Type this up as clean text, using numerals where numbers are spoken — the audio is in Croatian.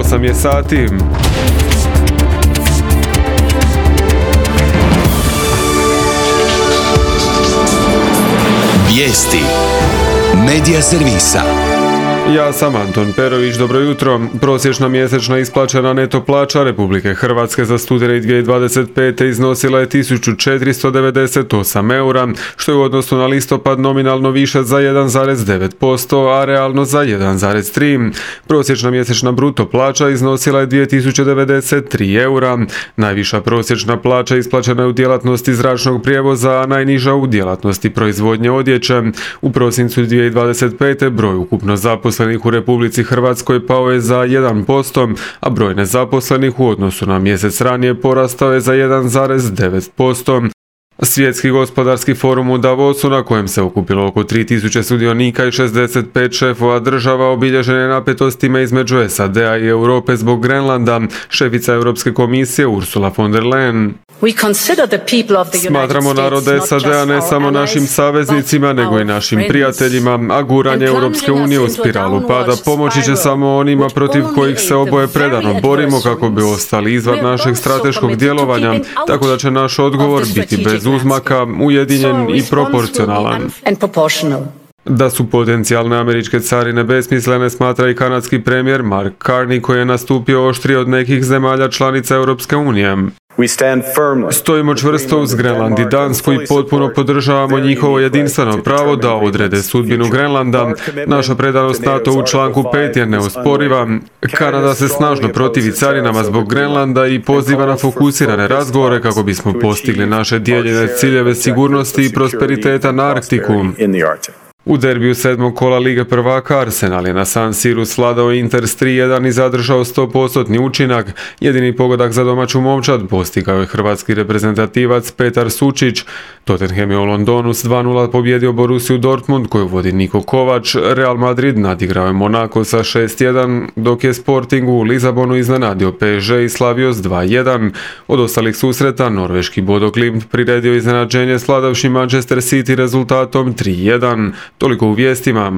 8 je sati. Vijesti Medija servisa. Ja sam Anton Perović, dobro jutro. Prosječna mjesečna isplaćena neto plaća Republike Hrvatske za studeni 2025. iznosila je 1498 eura, što je u odnosu na listopad nominalno više za 1,9%, a realno za 1,3%. Prosječna mjesečna bruto plaća iznosila je 2093 eura. Najviša prosječna plaća isplaćena je u djelatnosti zračnog prijevoza, a najniža u djelatnosti proizvodnje odjeće. U prosincu 2025. broj ukupno zaposlenih u Republici Hrvatskoj pao je za 1%, a broj nezaposlenih u odnosu na mjesec ranije porastao je za 1,9%. Svjetski gospodarski forum u Davosu, na kojem se okupilo oko 3000 sudionika i 65 šefova država, obilježen je napetostima između SAD-a i Europe zbog Grenlanda. Šefica Europske komisije Ursula von der Leyen: Smatramo narode SAD-a ne samo našim saveznicima, nego i našim prijateljima, a guranje Europske unije u spiralu pada pomoći će samo onima protiv kojih se oboje predano borimo kako bi ostali izvan našeg strateškog djelovanja, tako da će naš odgovor biti bez uzmaka, ujedinjen i proporcionalan. Da su potencijalne američke carine besmislene, smatra i kanadski premijer Mark Carney, koji je nastupio oštrije od nekih zemalja članica Europske unije. Stojimo čvrsto uz Grenland i Dansku i potpuno podržavamo njihovo jedinstveno pravo da odrede sudbinu Grenlanda. Naša predanost NATO u članku 5 je neosporiva. Kanada se snažno protivi carinama zbog Grenlanda i poziva na fokusirane razgovore kako bismo postigli naše dijeljene ciljeve sigurnosti i prosperiteta na Arktiku. U derbiju 7. kola Lige prvaka Arsenal je na San Siru svladao Inter s 3:1 i zadržao 100% učinak. Jedini pogodak za domaću momčad postigao je hrvatski reprezentativac Petar Sučić. Tottenham je u Londonu s 2:0 pobjedio Borussiju Dortmund, koju vodi Niko Kovač. Real Madrid nadigrao je Monako sa 6:1, dok je Sporting u Lizabonu iznenadio PSG i slavio s 2:1. Od ostalih susreta norveški Bodo Glimt priredio iznenađenje svladavši Manchester City rezultatom 3:1. Toliko u vijestima.